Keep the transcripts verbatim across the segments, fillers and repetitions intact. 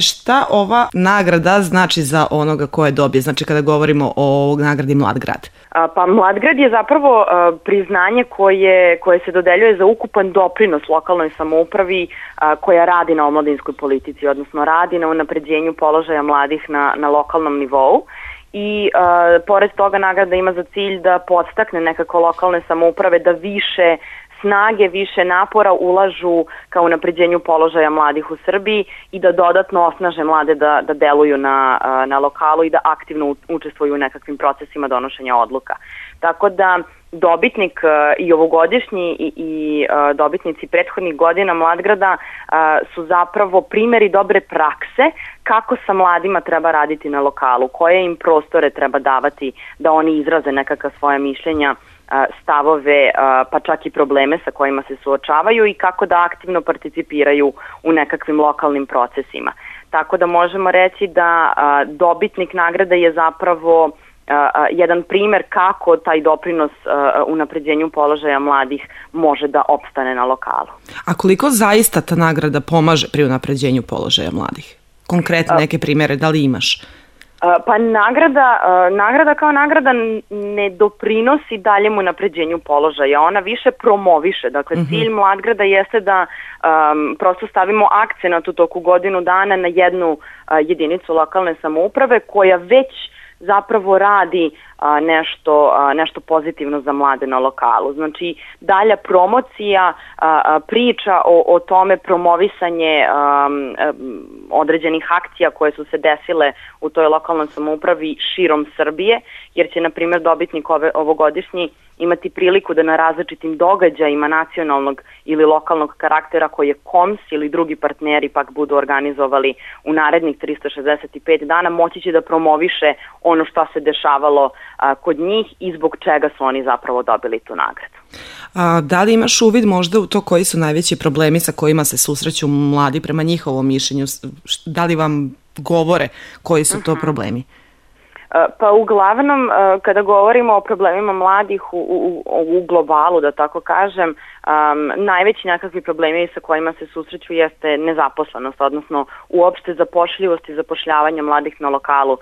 Šta ova nagrada znači za onoga ko je dobije? Znači kada govorimo o nagradi Mlad grad? Pa Mlad grad je zapravo priznanje koje, koje se dodeljuje za ukupan doprinos lokalnoj samoupravi koja radi na omladinskoj politici, odnosno radi na unapređenju položaja mladih na, na lokalnom nivou. I uh, pored toga nagrada ima za cilj da podstakne nekako lokalne samouprave da više snage, više napora ulažu ka unapređenju položaja mladih u Srbiji i da dodatno osnaže mlade da, da deluju na, na lokalu i da aktivno učestvuju u nekakvim procesima donošenja odluka. Tako da dobitnik i ovogodišnji i, i dobitnici prethodnih godina Mladgrada su zapravo primeri dobre prakse kako sa mladima treba raditi na lokalu, koje im prostore treba davati da oni izraze nekakva svoja mišljenja, stavove, pa čak i probleme sa kojima se suočavaju i kako da aktivno participiraju u nekakvim lokalnim procesima. Tako da možemo reći da dobitnik nagrade je zapravo jedan primer kako taj doprinos unapređenju položaja mladih može da opstane na lokalu. A koliko zaista ta nagrada pomaže pri unapređenju položaja mladih? Konkretne neke primere, da li imaš? Pa nagrada, nagrada kao nagrada ne doprinosi daljem unapređenju položaja, ona više promoviše. Dakle, uh-huh. cilj Mladgrada jeste da um, prosto stavimo akcenat u toku godinu dana na jednu uh, jedinicu lokalne samouprave koja već zapravo radi a, nešto, a, nešto pozitivno za mlade na lokalu. Znači, dalja promocija, a, a, priča o, o tome, promovisanje a, a, određenih akcija koje su se desile u toj lokalnoj samoupravi širom Srbije, jer će, na primjer, dobitnik ove, ovogodišnji imati priliku da na različitim događajima nacionalnog ili lokalnog karaktera koje K O M S ili drugi partneri pak budu organizovali u narednih trista šezdeset pet dana, moći će da promoviše ono što se dešavalo a, kod njih i zbog čega su oni zapravo dobili tu nagradu. A, da li imaš uvid možda u to koji su najveći problemi sa kojima se susreću mladi prema njihovom mišljenju? Da li vam govore koji su to problemi? Pa uglavnom, kada govorimo o problemima mladih u, u, u globalu, da tako kažem, um, najveći nekakvi problemi sa kojima se susreću jeste nezaposlenost, odnosno uopšte zapošljivost i zapošljavanje mladih na lokalu. Uh,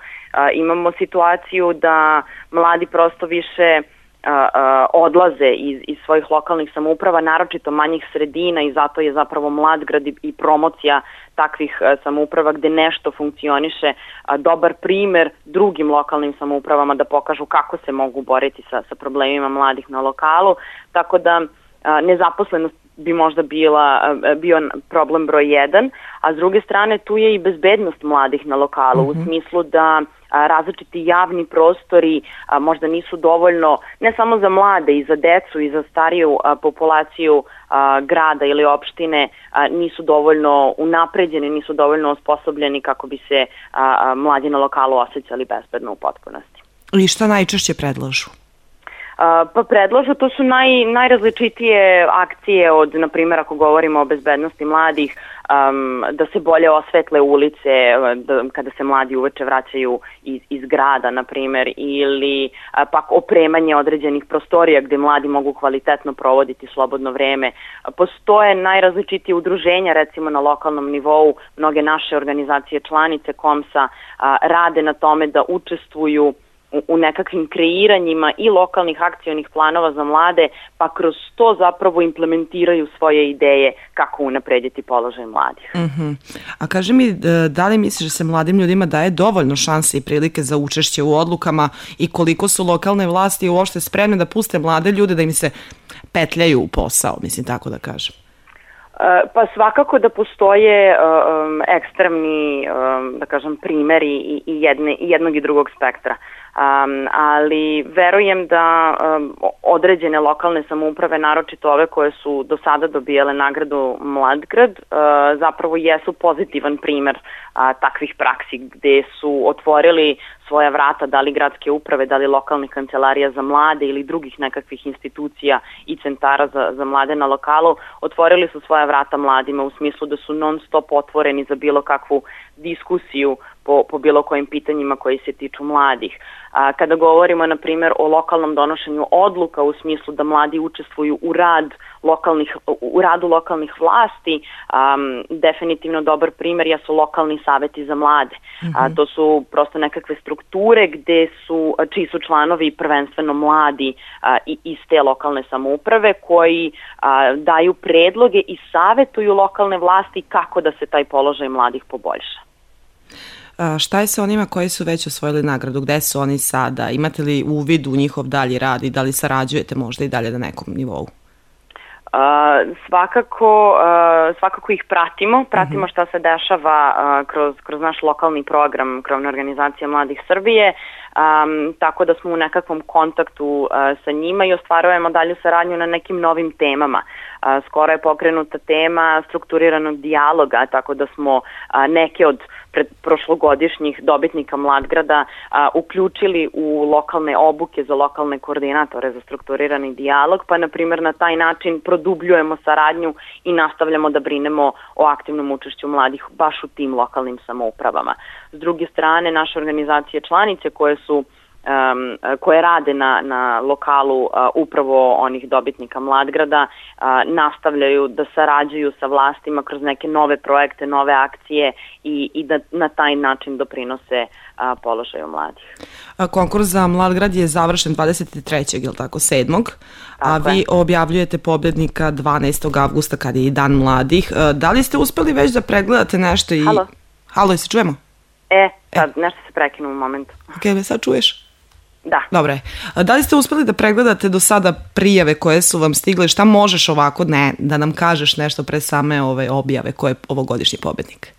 imamo situaciju da mladi prosto više Uh, uh, odlaze iz, iz svojih lokalnih samouprava, naročito manjih sredina, i zato je zapravo Mladgrad i, i promocija takvih uh, samouprava gde nešto funkcioniše uh, dobar primer drugim lokalnim samoupravama da pokažu kako se mogu boriti sa, sa problemima mladih na lokalu. Tako da uh, nezaposlenost bi možda bila, bio problem broj jedan, a s druge strane tu je i bezbednost mladih na lokalu, mm-hmm. u smislu da a, različiti javni prostori a, možda nisu dovoljno, ne samo za mlade, i za decu i za stariju a, populaciju a, grada ili opštine, a, nisu dovoljno unapređeni, nisu dovoljno osposobljeni kako bi se a, a, mladi na lokalu osjećali bezbedno u potpunosti. I šta najčešće predlažu? Uh, pa predlažu, to su naj, najrazličitije akcije od, na primjer, ako govorimo o bezbednosti mladih, um, da se bolje osvetle ulice da, kada se mladi uveče vraćaju iz, iz grada, na primjer, ili uh, pak opremanje određenih prostorija gde mladi mogu kvalitetno provoditi slobodno vreme. Uh, postoje najrazličitije udruženja, recimo na lokalnom nivou, mnoge naše organizacije članice K O M S-a uh, rade na tome da učestvuju u nekakvim kreiranjima i lokalnih akcionih planova za mlade, pa kroz to zapravo implementiraju svoje ideje kako unaprediti položaj mladih. Uh-huh. A kaži mi, da li misliš da se mladim ljudima daje dovoljno šanse i prilike za učešće u odlukama i koliko su lokalne vlasti uopšte spremne da puste mlade ljude da im se petljaju u posao, mislim tako da kažem? Pa svakako da postoje um, ekstremni, um, da kažem, primeri i, i, jedne, i jednog i drugog spektra. Um, ali verujem da um, određene lokalne samouprave, naročito ove koje su do sada dobijale nagradu Mladgrad, uh, zapravo jesu pozitivan primer uh, takvih praksi gde su otvorili svoja vrata, da li gradske uprave, da li lokalnih kancelarija za mlade ili drugih nekakvih institucija i centara za, za mlade na lokalu, otvorili su svoja vrata mladima u smislu da su non stop otvoreni za bilo kakvu diskusiju po, po bilo kojim pitanjima koji se tiču mladih. A, kada govorimo, na primjer, o lokalnom donošenju odluka u smislu da mladi učestvuju u rad lokalnih, u radu lokalnih vlasti. Um, definitivno dobar primer jesu lokalni saveti za mlade. Mm-hmm. A, to su prosto nekakve strukture gde su, čiji su članovi prvenstveno mladi a, i iz te lokalne samouprave koji a, daju predloge i savetuju lokalne vlasti kako da se taj položaj mladih poboljša. A šta je sa onima koji su već osvojili nagradu? Gde su oni sada? Imate li uvid u njihov dalji rad i da li sarađujete možda i dalje na nekom nivou? Uh, svakako, uh, svakako ih pratimo, pratimo uh-huh. šta se dešava uh, kroz, kroz naš lokalni program Krovna organizacija mladih Srbije, um, tako da smo u nekakvom kontaktu uh, sa njima i ostvarujemo dalju saradnju na nekim novim temama. Uh, skoro je pokrenuta tema strukturiranog dijaloga, tako da smo uh, neke od pred prošlogodišnjih dobitnika Mladgrada a, uključili u lokalne obuke za lokalne koordinatore za strukturirani dijalog, pa na primjer na taj način produbljujemo saradnju i nastavljamo da brinemo o aktivnom učešću mladih baš u tim lokalnim samoupravama. S druge strane, naše organizacije članice koje su Um, koje rade na, na lokalu uh, upravo onih dobitnika Mladgrada uh, nastavljaju da sarađuju sa vlastima kroz neke nove projekte, nove akcije i, i da na taj način doprinose uh, položaju mladih. A konkurs za Mladgrad je završen dvadeset trećeg je li tako, sedmog a tako vi je. Objavljujete pobednika dvanaestog avgusta kada je i Dan mladih. Uh, da li ste uspeli već da pregledate nešto i... Halo? Halo, se čujemo? E, sad e. nešto se prekinu u momentu. Ok, me sad čuješ? Da. Dobre. Da li ste uspeli da pregledate do sada prijave koje su vam stigle? Šta možeš ovako ne, da nam kažeš nešto pre same ove objave koje je ovogodišnji pobednik?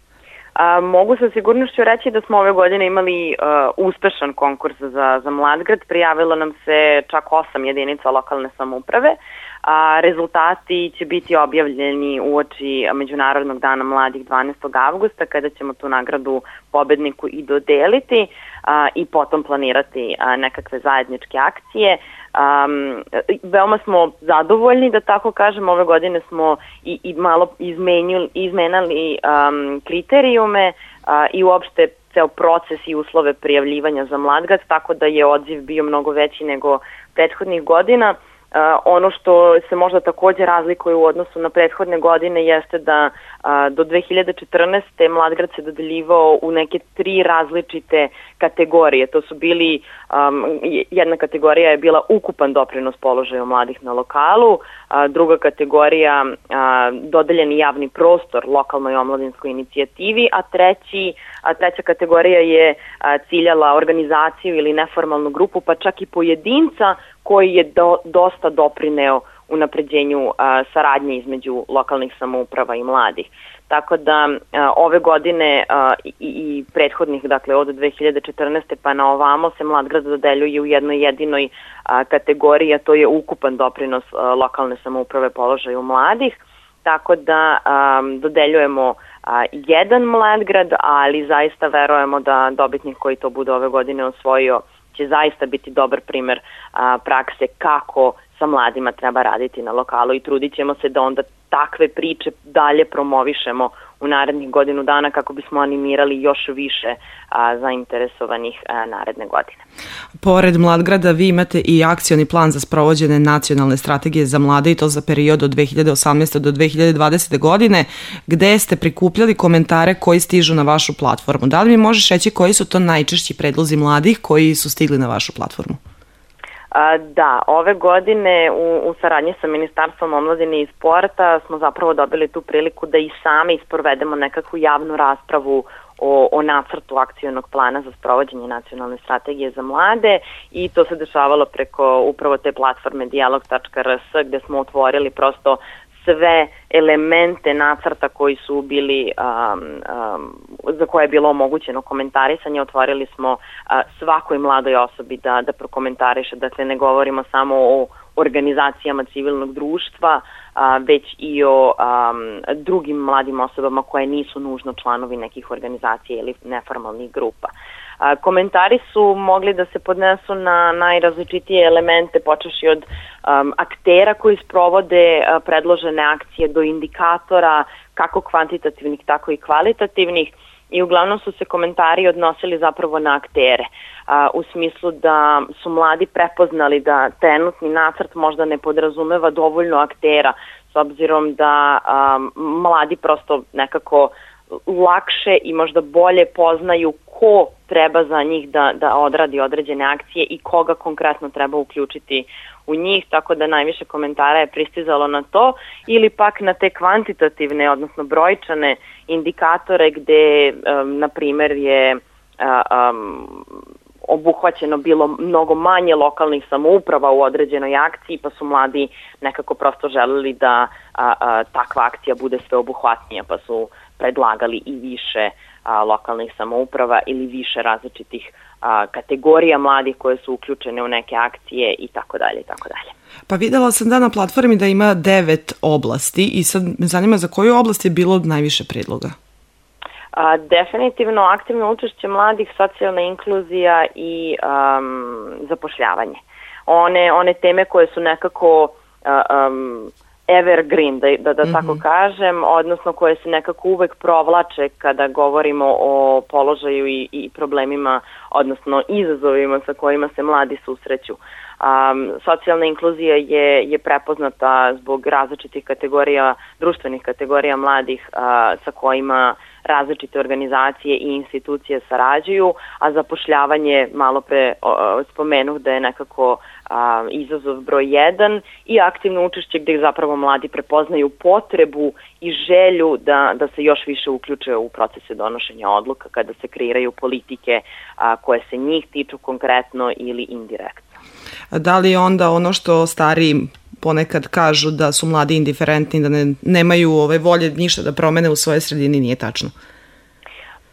A, mogu sa sigurnošću reći da smo ove godine imali uh, uspešan konkurs za, za Mladgrad. Prijavilo nam se čak osam jedinica lokalne samouprave. A, rezultati će biti objavljeni uoči Međunarodnog dana mladih dvanaestog avgusta kada ćemo tu nagradu pobedniku i dodeliti a, i potom planirati a, nekakve zajedničke akcije. Um, veoma smo zadovoljni, da tako kažem, ove godine smo i, i malo izmenjali, izmenali um, kriterijume uh, i uopšte ceo proces i uslove prijavljivanja za Mladgrad, tako da je odziv bio mnogo veći nego prethodnih godina. Uh, ono što se možda takođe razlikuje u odnosu na prethodne godine jeste da uh, do dve hiljade četrnaeste. Mladgrad se dodeljivao u neke tri različite kategorije. To su bili, um, jedna kategorija je bila ukupan doprinos položaju mladih na lokalu, uh, druga kategorija uh, dodeljeni javni prostor lokalnoj omladinskoj inicijativi, a treći, a treća kategorija je uh, ciljala organizaciju ili neformalnu grupu, pa čak i pojedinca koji je do, dosta doprineo unapređenju a, saradnje između lokalnih samouprava i mladih. Tako da a, ove godine a, i, i prethodnih, dakle od dve hiljade četrnaeste. pa na ovamo se Mladgrad dodeljuje u jednoj jedinoj a, kategoriji, a to je ukupan doprinos a, lokalne samouprave položaju mladih. Tako da a, dodeljujemo a, jedan Mladgrad, ali zaista verujemo da dobitnik koji to bude ove godine osvojio će zaista biti dobar primer a, prakse kako sa mladima treba raditi na lokalu i trudit ćemo se da onda takve priče dalje promovišemo u narednih godinu dana kako bismo animirali još više a, zainteresovanih a, naredne godine. Pored Mladgrada vi imate i akcioni plan za sprovođenje nacionalne strategije za mlade i to za period od dve hiljade osamnaeste. do dve hiljade dvadesete. godine gde ste prikupljali komentare koji stižu na vašu platformu. Da li mi možeš reći koji su to najčešći predlozi mladih koji su stigli na vašu platformu? Da, ove godine u, u saradnji sa Ministarstvom omladine i sporta smo zapravo dobili tu priliku da i sami isprovedemo nekakvu javnu raspravu o, o nacrtu akcionog plana za sprovođenje nacionalne strategije za mlade i to se dešavalo preko upravo te platforme dijalog tačka r s gde smo otvorili prosto sve elemente nacrta koji su bili, um, um, za koje je bilo omogućeno komentarisanje. Otvorili smo uh, svakoj mladoj osobi da, da prokomentariše, dakle ne govorimo samo o organizacijama civilnog društva, uh, već i o um, drugim mladim osobama koje nisu nužno članovi nekih organizacija ili neformalnih grupa. A, komentari su mogli da se podnesu na najrazličitije elemente, počeši od um, aktera koji sprovode uh, predložene akcije do indikatora, kako kvantitativnih, tako i kvalitativnih, i uglavnom su se komentari odnosili zapravo na aktere, a, u smislu da su mladi prepoznali da trenutni nacrt možda ne podrazumeva dovoljno aktera, s obzirom da um, mladi prosto nekako lakše i možda bolje poznaju ko treba za njih da, da odradi određene akcije i koga konkretno treba uključiti u njih, tako da najviše komentara je pristizalo na to ili pak na te kvantitativne, odnosno brojčane indikatore gde, um, na primer, je um, obuhvaćeno bilo mnogo manje lokalnih samouprava u određenoj akciji, pa su mladi nekako prosto želeli da a, a, takva akcija bude sve obuhvatnija, pa su predlagali i više a, lokalnih samouprava ili više različitih a, kategorija mladih koje su uključene u neke akcije i tako dalje i tako dalje. Pa videla sam da na platformi da ima devet oblasti i sad me zanima za koju oblast je bilo najviše predloga? A, definitivno aktivno učešće mladih, socijalna inkluzija i um, zapošljavanje. One, one teme koje su nekako um, evergreen, da, da, da mm-hmm. tako kažem, odnosno koje se nekako uvek provlače kada govorimo o položaju i, i problemima, odnosno izazovima sa kojima se mladi susreću. Um, socijalna inkluzija je, je prepoznata zbog različitih kategorija, društvenih kategorija mladih uh, sa kojima različite organizacije i institucije sarađuju, a zapošljavanje, malo pre o, spomenuh da je nekako a, izazov broj jedan i aktivno učešće gde zapravo mladi prepoznaju potrebu i želju da, da se još više uključe u procese donošenja odluka kada se kreiraju politike a, koje se njih tiču konkretno ili indirektno. Da li onda ono što stariji ponekad kažu da su mladi indiferentni, da ne, nemaju ove volje ništa da promene u svojoj sredini, nije tačno?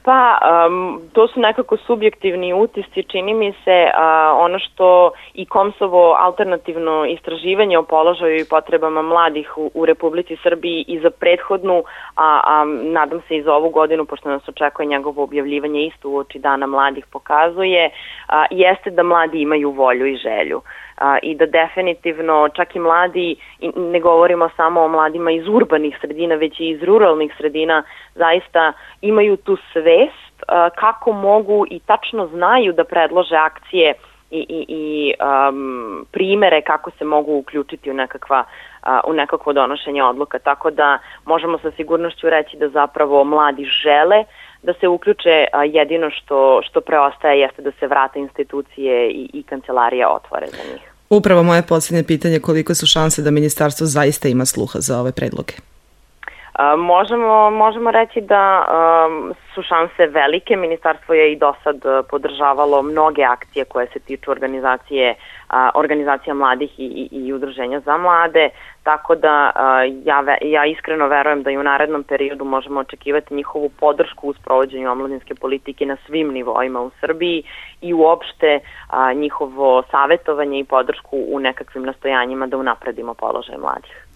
Pa, um, to su nekako subjektivni utisci, čini mi se uh, ono što i Komsovo alternativno istraživanje o položaju i potrebama mladih u, u Republici Srbiji i za prethodnu, a, a nadam se i za ovu godinu, pošto nas očekuje njegovo objavljivanje isto u oči Dana mladih, pokazuje, a, jeste da mladi imaju volju i želju. A, i da definitivno čak i mladi, i ne govorimo samo o mladima iz urbanih sredina, već i iz ruralnih sredina, zaista imaju tu svest a, kako mogu i tačno znaju da predlože akcije i, i, i um, primere kako se mogu uključiti u, nekakva, a, u nekakvo donošenje odluka. Tako da možemo sa sigurnošću reći da zapravo mladi žele da se uključe, a jedino što, što preostaje jeste da se vrate institucije i, i kancelarija otvore za njih. Upravo moje posljednje pitanje, koliko su šanse da ministarstvo zaista ima sluha za ove predloge? A, možemo, možemo reći da um, su šanse velike. Ministarstvo je i do sad podržavalo mnoge akcije koje se tiču organizacije, a, organizacija mladih i, i, i udruženja za mlade, tako da a, ja, ja iskreno verujem da i u narednom periodu možemo očekivati njihovu podršku u sprovođenju omladinske politike na svim nivoima u Srbiji i uopšte a, njihovo savjetovanje i podršku u nekakvim nastojanjima da unapredimo položaj mladih.